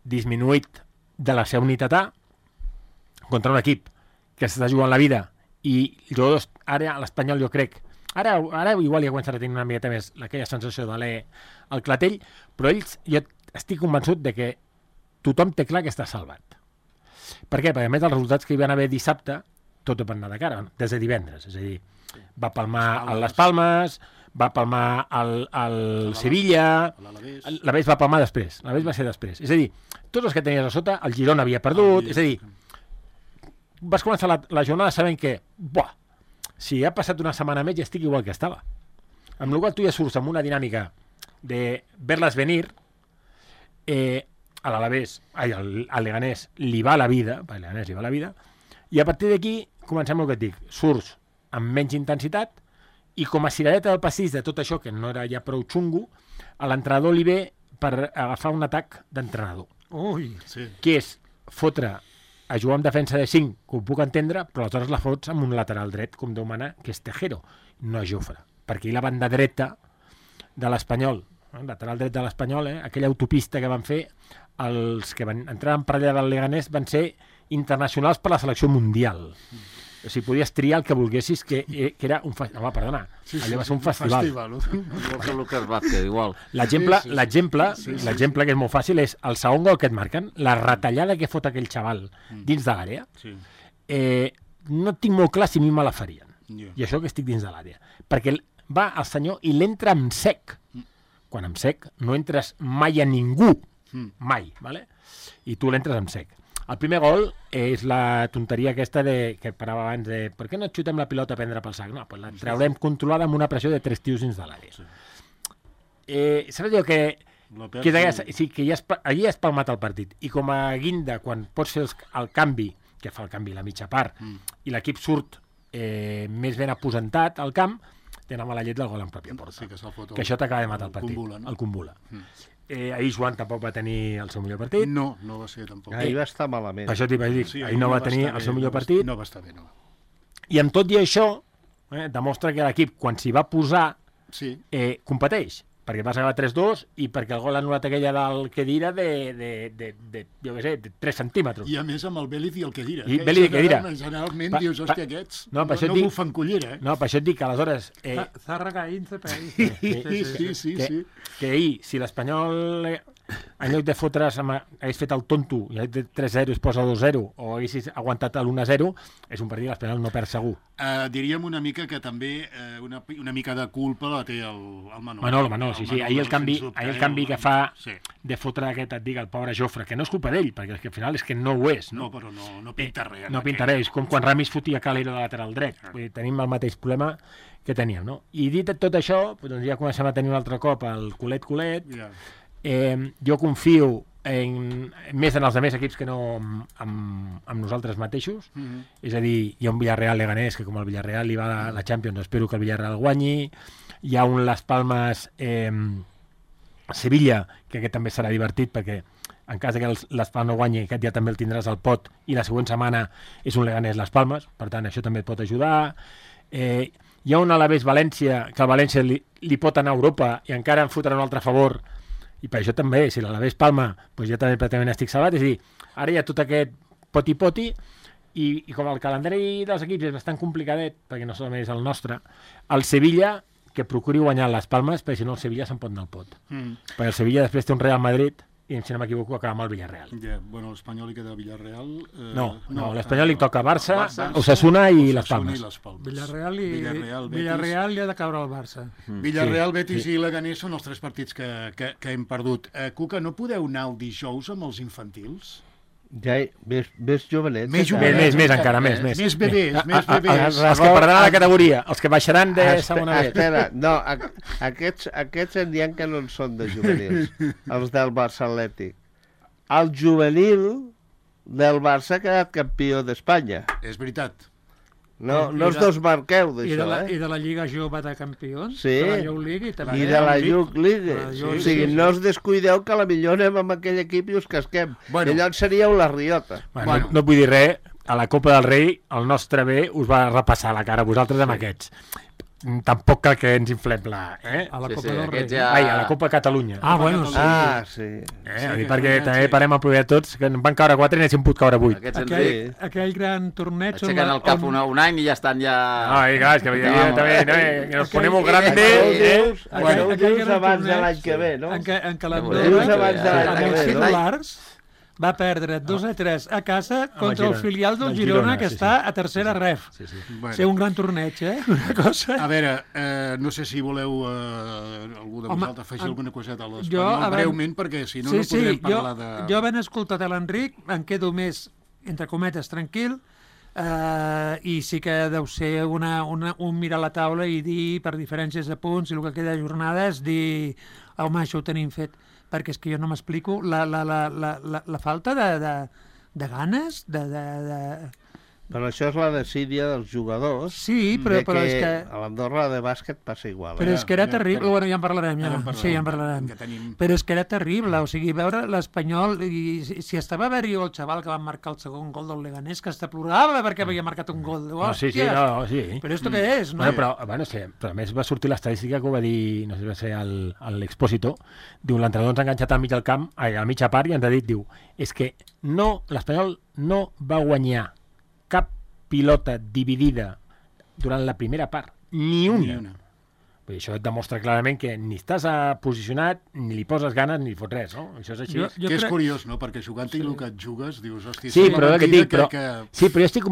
disminuït de la seva unitat A contra un equip que s'està jugant la vida i jugadors, ara l'Espanyol jo crec, ara igual ja començarà a tenir una miqueta més aquella sensació de l'E al clatell, però ells, jo estic convençut de que tothom té clar que està salvat. Per què? Perquè a més dels resultats que hi van haver dissabte, tot va anar de cara, des de divendres, és a dir, va palmar a les Palmes, va palmar al Sevilla, l'Alavés va palmar després, l'Alavés va ser després. És a dir, tots els que tenies a sota, el Girona havia perdut, és a dir, vas començar la jornada sabent que, si ha passat una setmana més ja estic igual que estava. Amb la qual tu ja surts amb una dinàmica de verles venir, a l'Alavés, al Leganés li va la vida, i a partir d'aquí comencem el que et dic, surts amb menys intensitat i com a cirereta del pastís de tot això, que no era ja prou xungo, a l'entrenador li ve per agafar un atac d'entrenador. Que és fotre a jugar amb defensa de 5, que ho puc entendre, però aleshores la fots amb un lateral dret, com Déu mana, que és Tejero, no Jofre. Perquè la banda dreta de l'Espanyol, lateral dret de l'Espanyol, aquella autopista que van fer, els que van entrar en parella del Leganés van ser internacionals per la selecció mundial. O sigui, podies triar el que volguessis, que era un festival. Home, perdona, allò va ser un festival. Lucas Vázquez, igual. L'exemple que és molt fàcil és el segon gol que et marquen, la retallada que fot aquell xaval dins de l'àrea, no tinc molt clar si a mi me la farien. I això que estic dins de l'àrea. Perquè va el senyor i l'entra amb sec. Quan amb sec no entres mai a ningú. Mai, ¿vale? I tu l'entres amb sec. El primer gol és la tonteria aquesta que parava abans de per què no xutem la pilota a prendre pel sac? No, pues la traurem controlada amb una pressió de 3 tios dins de l'àrea. Saps allò que allí has palmat el partit i com a guinda, quan pots fer el canvi, que fa el canvi la mitja part, i l'equip surt més ben aposentat al camp, tenen mala llet del gol en pròpia porta. Que això t'acaba de matar el partit. El Kumbula. Ahir Joan tampoc va tenir el seu millor partit. No va ser tampoc. Ahir va estar malament. Això t'hi vaig dir, ahir no va tenir el seu millor partit. No va estar bé, no. I amb tot i això, demostra que l'equip, quan s'hi va posar, competeix. perquè vas acabar 3-2 i perquè el gol ha anul·lat aquella del Khedira jo què sé, de 3 centímetres. I a més amb el Bélez i el Khedira. I Bélez i Khedira. Generalment dius, hòstia, aquests no bufen cullera. No, per això et dic que aleshores... Zárraga, Ince, Sí. Que ahir, si l'Espanyol, en lloc de fotre's, hagués fet el tonto i hagués fet 3-0 i es posa 2-0 o haguessis aguantat l'1-0, és un partit que l'Espanyol no perd segur. Diríem una mica que també una mica de culpa la té el Manol, sí. Ahir el canvi que fa de fotre aquest, et dic, el pobre Jofre, que no és culpa d'ell, perquè al final és que no ho és. No, però no pinta res. No pinta res, és com quan Ramis fotia Calero de lateral dret. Vull dir, tenim el mateix problema que teníem, no? I dit tot això, doncs ja comencem a tenir un altre cop el culet. Jo confio més en els altres equips que no amb nosaltres mateixos. És a dir, hi ha un Villarreal-Leganés que com el Villarreal li va a la Champions, espero que el Villarreal guanyi. Hi ha un Las Palmas Sevilla, que aquest també serà divertit perquè en cas que Las Palmas no guanyi, aquest ja també el tindràs al pot i la següent setmana és un Leganés Las Palmas, per tant això també et pot ajudar. Hi ha un Alavés-València, que el València li pot anar a Europa i encara en fotrà un altre a favor, i per això també, si l'Alavés Palma, doncs jo també pràcticament estic salvat, és a dir, ara hi ha tot aquest poti-poti, i com el calendari dels equips és bastant complicadet, perquè no solament és el nostre, el Sevilla, que procuri guanyar les Palmes, perquè si no el Sevilla se'n pot anar al pot. Perquè el Sevilla després té un Real Madrid, i si no m'equivoco acaba amb el Villarreal. Bueno, l'Espanyol li queda Villarreal... No, l'Espanyol li toca Barça, Osasuna i les Palmes. Villarreal li ha de caure al Barça. Villarreal, Betis i Leganés són els 3 partits que hem perdut. Cuca, no podeu anar el dijous amb els infantils? Ja, més jovenets. Més encara, més. Més bebès. Els que perdran la categoria, els que baixaran de segona B. Espera, no, aquests en diem que no en són de juvenils, els del Barça Atlètic. El juvenil del Barça ha quedat campió d'Espanya. És veritat. No us desmarqueu d'això, I de la Lliga Jove de Campions? Sí, de la Youth League, i de la Youth League. O sigui, no us descuideu que a la millor anem amb aquell equip i us casquem. I llavors seríeu la riota. No vull dir res, a la Copa del Rei el nostre B us va repassar la cara a vosaltres amb aquests. Tampoc cal que ens inflem a la Copa del Rei. Ai, a la Copa Catalunya. Bueno, sí. Sí. Perquè també parem a provar tots, que en van caure 4 i n'hi pogut caure 8. Aquell gran torneig... Aixequen el cap un any i ja estan ja... Ai, clar, és que també nos ponemos grandes... Ho dius abans de l'any que ve, no? En Calandora, amb els titulars... va perdre 2-3 a casa contra el filial del Girona, que està a tercera ref. Ser un gran torneig, una cosa... A veure, no sé si voleu algú de vosaltres afegir alguna coseta a l'Espanyol, breument, perquè si no no podrem parlar de... Jo havent escoltat l'Enric, em quedo més, entre cometes, tranquil, i sí que deu ser un mirar a la taula i dir, per diferències de punts, i el que queda de jornada és dir, home, això ho tenim fet. Perquè és que jo no m'explico la falta de ganes, Però això és la desídia dels jugadors. Sí, però és que... A l'Andorra de bàsquet passa igual. Però és que era terrible. Bueno, ja en parlarem, Sí, ja en parlarem. Però és que era terrible. O sigui, veure l'Espanyol... Si estava a veure el xaval que va marcar el segon gol del Leganés, que hasta plorava perquè havia marcat un gol. Sí. Però esto què és, no? Però a més va sortir l'estadística que ho va dir, no sé si va ser l'Expósito, diu, l'entrenador ens ha enganxat al mig del camp, a la mitja part, i ens ha dit, diu, és que l'Espanyol no va guanyar cap pilota dividida durant la primera part, ni una. Això et demostra clarament que ni estàs posicionat, ni li poses ganes, ni li fots res, no? Això és així. Que és curiós, no? Perquè jugant-hi el que et jugues, dius, hòstia... Sí, però jo estic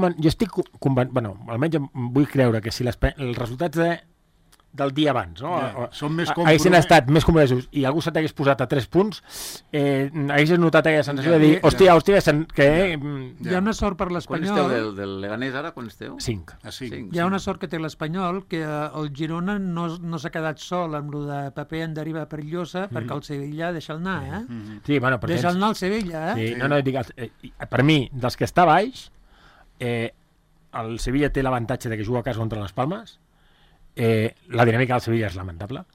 convençut, bueno, almenys vull creure que si els resultats del dia abans, no? Són més haguessin estat més compromesos i algú se t'hagués posat a 3 punts, haguessis notat aquella sensació de dir, hòstia, que... Hi ha una sort per l'Espanyol... Quan esteu del Leganés ara? Quan esteu? 5. Hi ha una sort que té l'Espanyol, que el Girona no s'ha quedat sol amb el de paper en deriva perillosa, perquè el Sevilla deixa'l anar, Sí, bueno, però deixa'l anar al Sevilla, per mi, dels que està baix, el Sevilla té l'avantatge de que juga a casa contra les Palmes. La dinàmica del Sevilla és lamentable,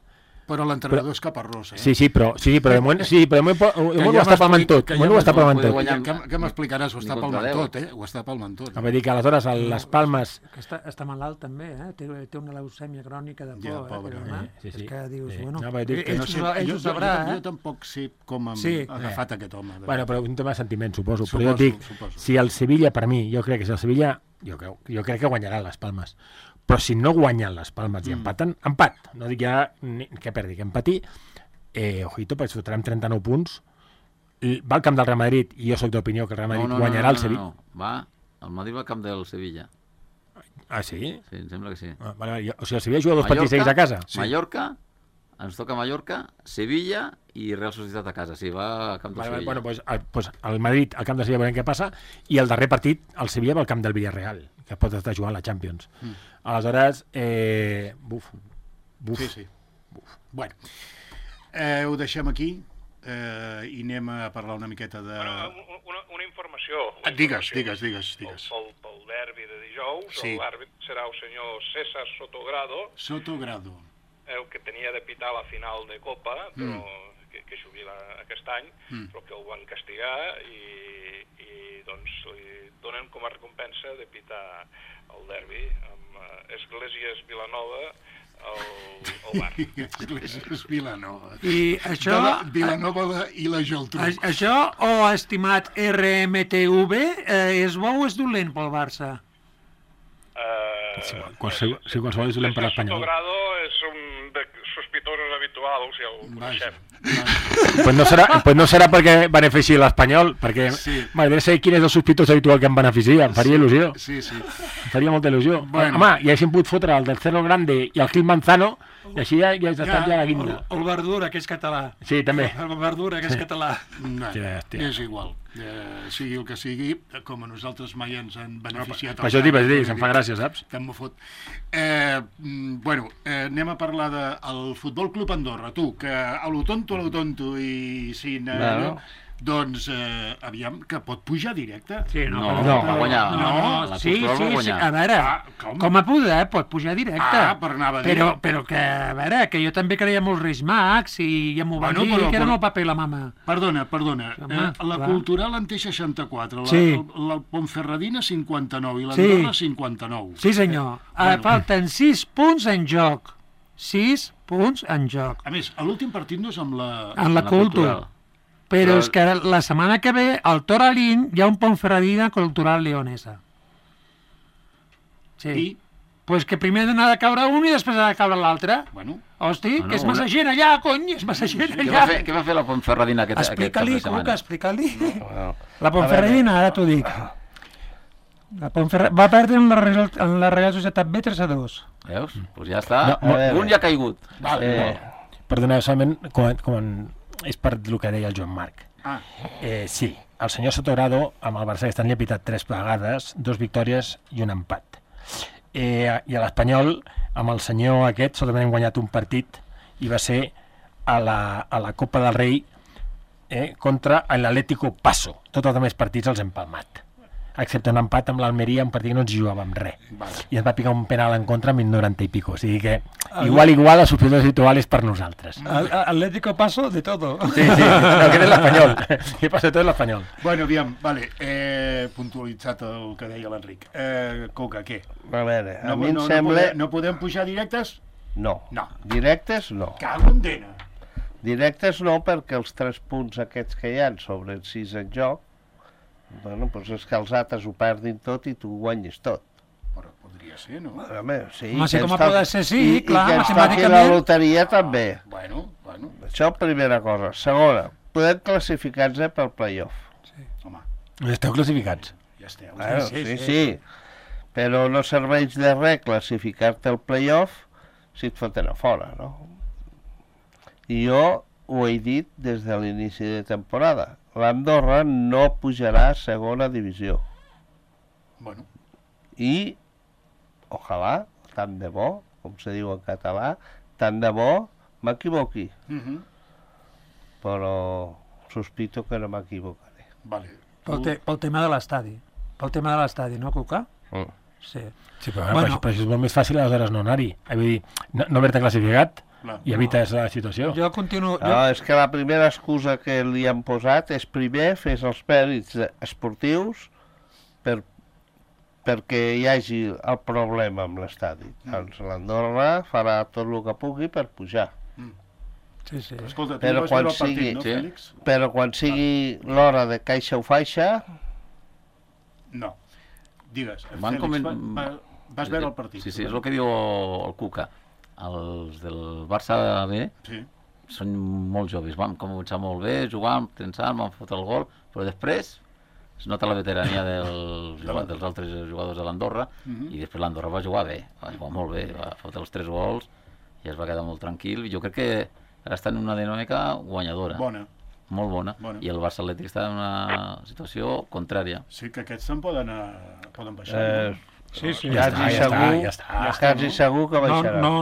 Però l'entrenador és Caparrós, Sí, però de moment ho està palmant tot. Què m'explicaràs? Ho està palmant tot, Ho està palmant tot. Vull dir que aleshores les Palmes... Està malalt també, té una leucèmia crònica de por. Pobre. És que dius, bueno... Jo tampoc sé com ha agafat aquest home. Bueno, però un tema de sentiment, suposo. Però jo dic, si el Sevilla, per mi, jo crec que si el Sevilla... Jo crec que guanyaran les Palmes. Però si no guanyen les Palmes i empaten, empat. No dic ja que perdi, que empati. Ojito, perquè fotrem 39 punts. Va al camp del Real Madrid i jo sóc d'opinió que el Real Madrid guanyarà el Sevilla. El Madrid va al camp del Sevilla. Ah, sí? Sí, em sembla que sí. O sigui, el Sevilla juga 2 partits seguits a casa. Mallorca, ens toca Mallorca, Sevilla i Real Societat a casa. Sí, va al camp del Sevilla. Bueno, doncs el Madrid al camp del Sevilla veurem què passa, i el darrer partit, el Sevilla va al camp del Villarreal, que pot estar jugant la Champions. Aleshores, buf. Sí. Bueno, ho deixem aquí i anem a parlar una miqueta de... Una informació. Digues. Pel derbi de dijous, l'àrbit serà el senyor César Sotogrado, el que tenia de pitar la final de Copa, però que jubila aquest any, però que el van castigar i doncs li donen com a recompensa de pitar el derbi amb Esglésies Vilanova al bar. Esglésies Vilanova. I això... Vilanova i la Geltrú. Això, estimat RMTV, és bo o és dolent pel Barça? Qualsevol és dolent per l'Espanyol. Sotogrado és un sospitosos habituals, ja ho coneixem. Pues no serà perquè benefici l'Espanyol, perquè m'agradaria saber quin és el sospitós habitual que em beneficia, em faria il·lusió. Sí. Em faria molta il·lusió. Home, ja haguéssim pogut fotre el del Cerro Grande i el Gil Manzano, i així ja has estat ja a la guinda. El Verdura, que és català. Sí, també. El Verdura, que és català. És igual. Sigui el que sigui, com a nosaltres mai ens han beneficiat. Per això t'hi vaig dir, se'm fa gràcia, saps? Tant m'ho fot. Bueno, anem a parlar del Futbol Club Andorra. Tu, que a lo tonto i sin... Doncs, aviam, que pot pujar directe? Sí, va guanyar. Sí, a veure, com a poder pot pujar directe. Per anar a dir. Però que, a veure, que jo també creia molt Reis Max i ja m'ho van dir que eren el paper i la mama. Perdona. La Cultural en té 64, la Ponferradina 59 i l'Andorra 59. Sí, senyor. Falten 6 punts en joc. 6 punts en joc. A més, l'últim partit no és amb la... En la Cultural. Però és que la setmana que ve, al Toralín, hi ha un Ponferradina Cultural Leonesa. Sí. I? Pues que primer ha de caure un i després ha de caure l'altre. Bueno. Hosti, que és massa gent allà, cony, és massa gent allà. Què va fer la Ponferradina aquest cap de setmana? Cuca, explica-li. La Ponferradina, ara t'ho dic. Va perdre en la Real Societat B 3-2. Veus? Doncs ja està. Un ja ha caigut. Perdoneu, solament és per el que deia el Joan Marc. Sí, el senyor Sotogrado amb el Barça aquest any li ha pitat 3 vegades, 2 victòries i un empat. I a l'Espanyol, amb el senyor aquest, solament hem guanyat un partit i va ser a la Copa del Rei contra l'Atlético Paso. Tots els altres partits els hem palmat, excepte un empat amb l'Almeria, un partit que no ens jugàvem res. I ens va picar un penal en contra amb 90 i pico. O sigui que igual el sospitós habitual és per nosaltres. Atlético Paso de todo. Sí, no, que és l'Espanyol. Que passa tot l'Espanyol. Bueno, aviam, vale, puntualitzat el que deia l'Enric. Coca, què? A veure, a mi em sembla... No podem pujar directes? No. Directes no. Cago en dena. Directes no, perquè els 3 punts aquests que hi ha sobre els 6 en joc, bueno, doncs és que els altres ho perdin tot i tu guanyis tot. Però podria ser, no? Sí, home, sí, com a poder ser, sí, clar, i que ens toqui la loteria també. Bueno. Això, primera cosa. Segona, podem classificar-nos pel play-off. Sí. Home. Esteu classificats. Ja esteu. Sí. Però no serveix de res classificar-te al play-off si et foten a fora, no? I jo ho he dit des de l'inici de temporada. L'Andorra no pujarà a segona divisió. Bueno. I, ojalà, tant de bo, com se diu en català, tant de bo m'equivoqui. Però sospito que no m'equivocaré. Vale. Pel tema de l'estadi. Pel tema de l'estadi, no, Cuca? Sí, però això és molt més fàcil aleshores no anar-hi. Vull dir, no haver-te classificat, i evites la situació. Jo continuo... No, és que la primera excusa que li han posat és primer fes els mèrits esportius perquè hi hagi el problema amb l'estadi. Doncs l'Andorra farà tot el que pugui per pujar. Sí, sí. Escolta, tu vas veure el partit, no, Fèlix? Però quan sigui l'hora de caixa o faixa... No. Digues, Van Fèlix, vas veure el partit? Sí, és el que diu el Cuca. Els del Barça B són molt joves. Van començar molt bé, jugant, tensant, van fotre el gol, però després es nota la veterania dels altres jugadors de l'Andorra i després l'Andorra va jugar bé, va jugar molt bé, va fotre els 3 gols i es va quedar molt tranquil. Jo crec que ara està en una dinàmica guanyadora. Bona. Molt bona. I el Barça Atlètic està en una situació contrària. Sí, que aquests se'n poden baixar. Sí, quasi segur que baixarà. No,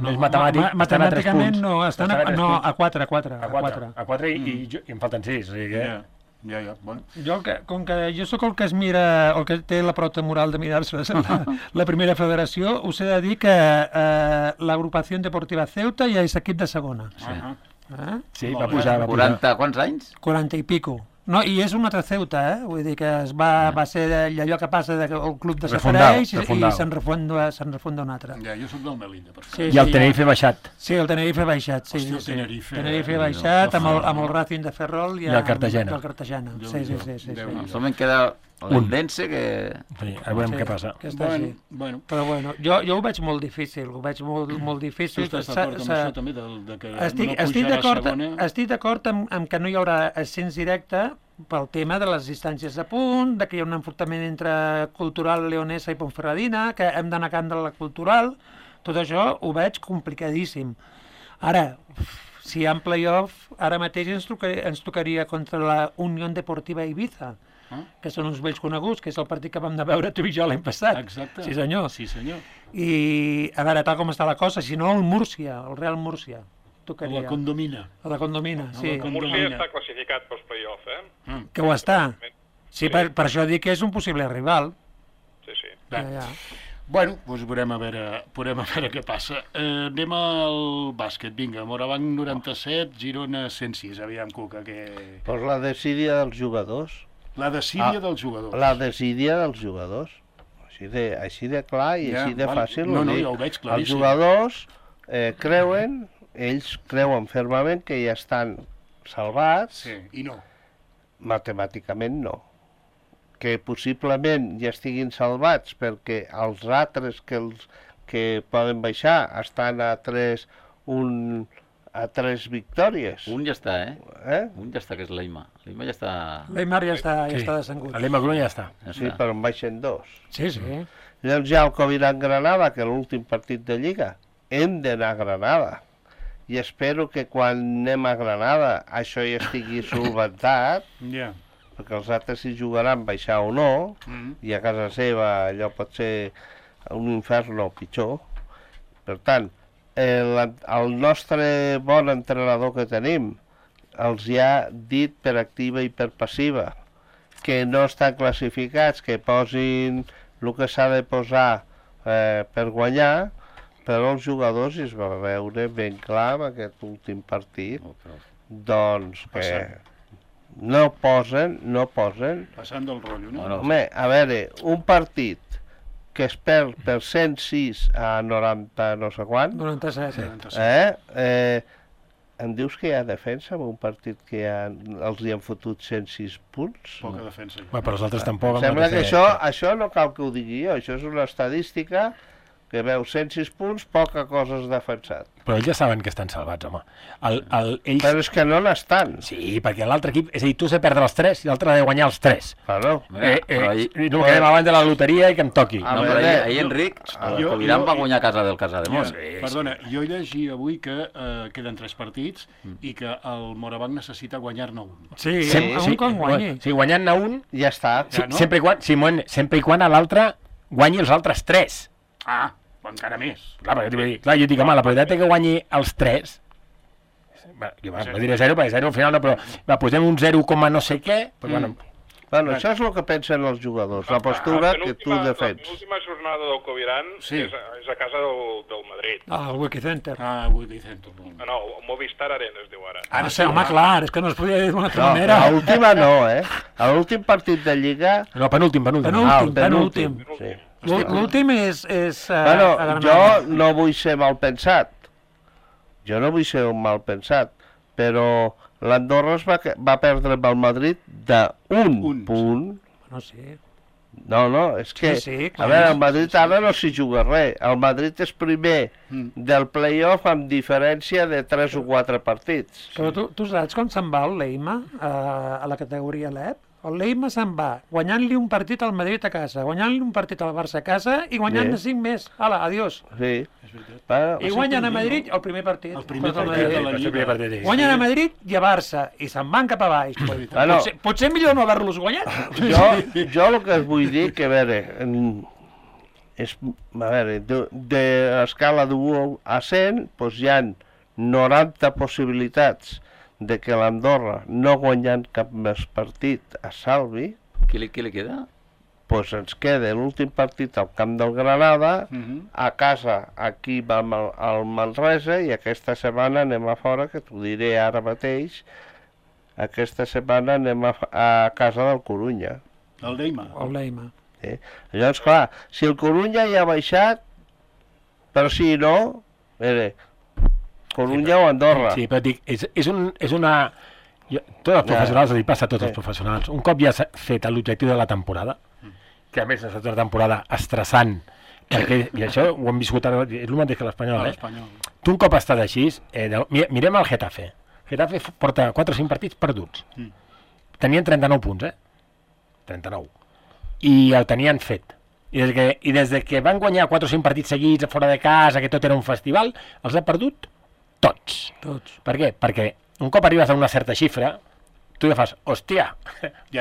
és matemàtic. Matemàticament no, estan a 4. A 4 i em falten 6. O sigui que... Ja, bueno. Com que jo sóc el que es mira, el que té la prota moral de mirar-se la primera federació, us he de dir que l'agrupació deportiva Ceuta ja és equip de segona. Sí, va pujar. 40, quants anys? 40 i pico. No, i és un altre Ceuta, vull dir que va ser allò que passa que el club desapareix i se'n refunda un altre. Ja, jo soc del Melilla, per això. I el Tenerife baixat. Sí, el Tenerife baixat, sí. Hòstia, el Tenerife baixat amb el Racing de Ferrol i el Cartagena. Sí. Solament queda l'Endense que... Sí, a veure què passa. Bueno. Però bueno, jo ho veig molt difícil, molt difícil. Tu estàs d'acord amb això també, que no pujarà a segona? Estic d'acord amb que no hi haurà ascens directe pel tema de les distàncies de punt, que hi ha un enfrontament entre Cultural Leonesa i Ponferradina, que hem d'anar a camp de la Cultural, tot això ho veig complicadíssim. Ara, si hi ha play-off, ara mateix ens tocaria contra la Unió Deportiva Ibiza, que són uns vells coneguts, que és el partit que vam anar a veure tu i jo l'any passat. Exacte. Sí, senyor. I, a veure, tal com està la cosa, si no, el Real Múrcia. La Condomina. La Condomina, sí. El Múrcia està classificat pels play-off, Que ho està. Sí, per això dic que és un possible rival. Sí. Ja. Bueno, doncs veurem a veure què passa. Anem al bàsquet, vinga. Morabanc 97, Girona 106. Aviam, Cuca, que... Pues la desídia dels jugadors. La desídia dels jugadors. La desídia dels jugadors. Així de clar i així de fàcil. No, jo ho veig claríssim. Els jugadors ells creuen fermament que ja estan salvats. Sí, i no. Matemàticament no. Que possiblement ja estiguin salvats perquè els altres que poden baixar estan a 3 victòries. Un ja està, Un ja està, que és l'Eima. L'Eima ja està... L'Eimar ja està descengut. L'Eima Gruna ja està. Sí, però en baixen 2. Sí. Llavors ja el Coviran-Granada, que l'últim partit de Lliga, hem d'anar a Granada. I espero que quan anem a Granada això ja estigui solventat, perquè els altres si jugaran baixar o no, i a casa seva allò pot ser un infern o pitjor. Per tant, el nostre bon entrenador que tenim els hi ha dit per activa i per passiva que no estan classificats, que posin el que s'ha de posar per guanyar, però els jugadors es va veure ben clar en aquest últim partit, doncs que no posen... Passant del rotllo, no? Home, a veure, un partit que es perd per 106 a 90 no sé quant... 97. Em dius que hi ha defensa en un partit que els hi han fotut 106 punts? Poca defensa. Però els altres tampoc... Em sembla que això no cal que ho digui jo, això és una estadística que veu 106 punts, poca cosa has defensat. Però ells ja saben que estan salvats, home. Però és que no n'estan. Sí, perquè l'altre equip... És a dir, tu has de perdre els 3 i l'altre ha de guanyar els 3. Claro. No quedem abans de la loteria i que em toqui. No, però ahir Enric, el Coviran va guanyar a casa del Casademont. Perdona, jo llegia avui que queden 3 partits i que el Morabanc necessita guanyar-ne un. Sí, un quan guanyi. Sí, guanyant-ne un... Ja està. Sempre i quan l'altre guanyi els altres 3. Encara més. Clar, jo dic, home, la probabilitat que guanyi els 3, no diré 0, perquè 0 al final no, però posem un 0, no sé què, però bueno, Bueno, això és el que pensen els jugadors, la postura que tu defens. L'última jornada del Coviran és a casa del Madrid. Al Wiki Center. Wiki Center. No, Movistar Arena es diu ara. Ara sí, home, clar, és que no es podia dir d'una altra manera. A l'última no, A l'últim partit de Lliga... No, penúltim. Penúltim. Sí. L'últim és... Bueno, jo no vull ser mal pensat. Però l'Andorra va perdre amb el Madrid d'un punt. No, sí. No, és que... A veure, el Madrid ara no s'hi juga res. El Madrid és primer del play-off amb diferència de 3 o 4 partits. Però tu saps com se'n va el Leima a la categoria LEP? El Leima se'n va guanyant-li un partit al Madrid a casa, guanyant-li un partit al Barça a casa i guanyant-ne 5 més. Hala, adiós. Sí. I guanyen a Madrid el primer partit. El primer partit de la Lliga. Guanyen a Madrid i a Barça i se'n van cap a baix. Potser millor no haver-los guanyat. Jo el que us vull dir que, a veure, de l'escala d'1 a 100, doncs hi ha 90 possibilitats de que l'Andorra, no guanyant cap més partit, es salvi. Què li queda? Doncs ens queda l'últim partit al camp del Granada, a casa aquí vam al Manresa, i aquesta setmana anem a fora, que t'ho diré ara mateix, aquesta setmana anem a casa del Corunya. El Leima. Llavors, clar, si el Corunya ja ha baixat, però si no, Corunya o Andorra. Sí, però dic, és una... Tots els professionals, passa a tots els professionals. Un cop ja s'ha fet l'objectiu de la temporada, que a més ha estat una temporada estressant, i això ho hem viscut ara, és el mateix que l'Espanyol, Tu un cop estàs així, mirem el Getafe. Getafe porta 4 o 5 partits perduts. Tenien 39 punts, 39. I el tenien fet. I des que van guanyar 4 o 5 partits seguits fora de casa, que tot era un festival, els ha perdut tots. Per què? Perquè un cop arribes a una certa xifra, tu ja fas, hòstia,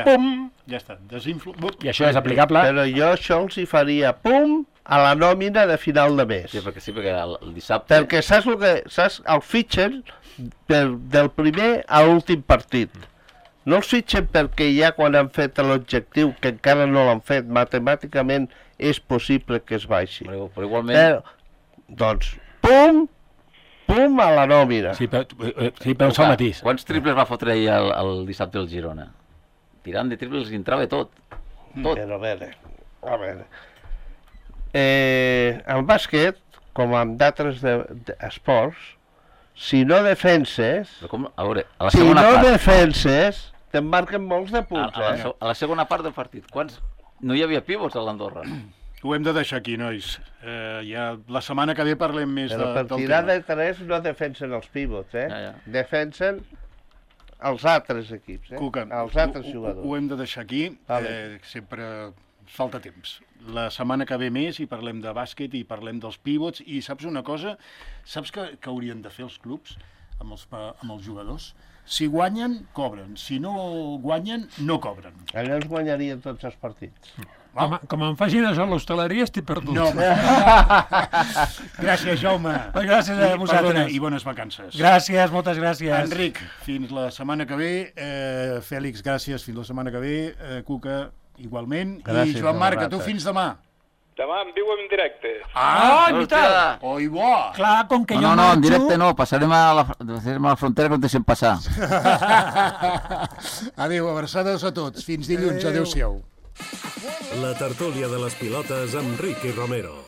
pum! Ja està, I això és aplicable... Però jo això els hi faria, pum, a la nòmina de final de mes. Sí, perquè el dissabte... Perquè saps el que... El fitxen del primer a l'últim partit. No els fitxen perquè ja quan han fet l'objectiu, que encara no l'han fet, matemàticament és possible que es baixi. Però igualment... Doncs, pum a la nòmina. Sí, però un sol matís. Quants triples va fotre ahir el dissabte el Girona? Tirant de triples i entrava tot. Però a veure. En bàsquet, com en d'altres esports, si no defenses... A veure, a la segona part... defenses, te'n marquen molts de punts, A la segona part del partit, quants... No hi havia pivots a l'Andorra. Ho hem de deixar aquí, nois. Ja la setmana que ve parlem més del tema. Però per tirar de 3 no defensen els pivots, Defensen els altres equips, Cuca, els altres jugadors. Ho hem de deixar aquí. Sempre falta temps. La setmana que ve més i parlem de bàsquet i parlem dels pivots. I saps una cosa? Saps que haurien de fer els clubs amb els jugadors? Si guanyen, cobren. Si no guanyen, no cobren. Allò els guanyarien tots els partits. Com em facin això a l'hostaleria estic perdut. No, gràcies, Jaume. Gràcies a vosaltres. I bones vacances. Gràcies, moltes gràcies. Enric, fins la setmana que ve. Fèlix, gràcies, fins la setmana que ve. Cuca, igualment. Gràcies, i Joan Marc, a tu fins demà. Demà en viu en directe. En veritat? Oi, bo! Clar, com que jo marxo... No, en directe no, passarem a la frontera que no deixem passar. Adéu, abraçades a tots. Fins dilluns, adéu-siau. La tertúlia de les pilotes amb Ricky Romero.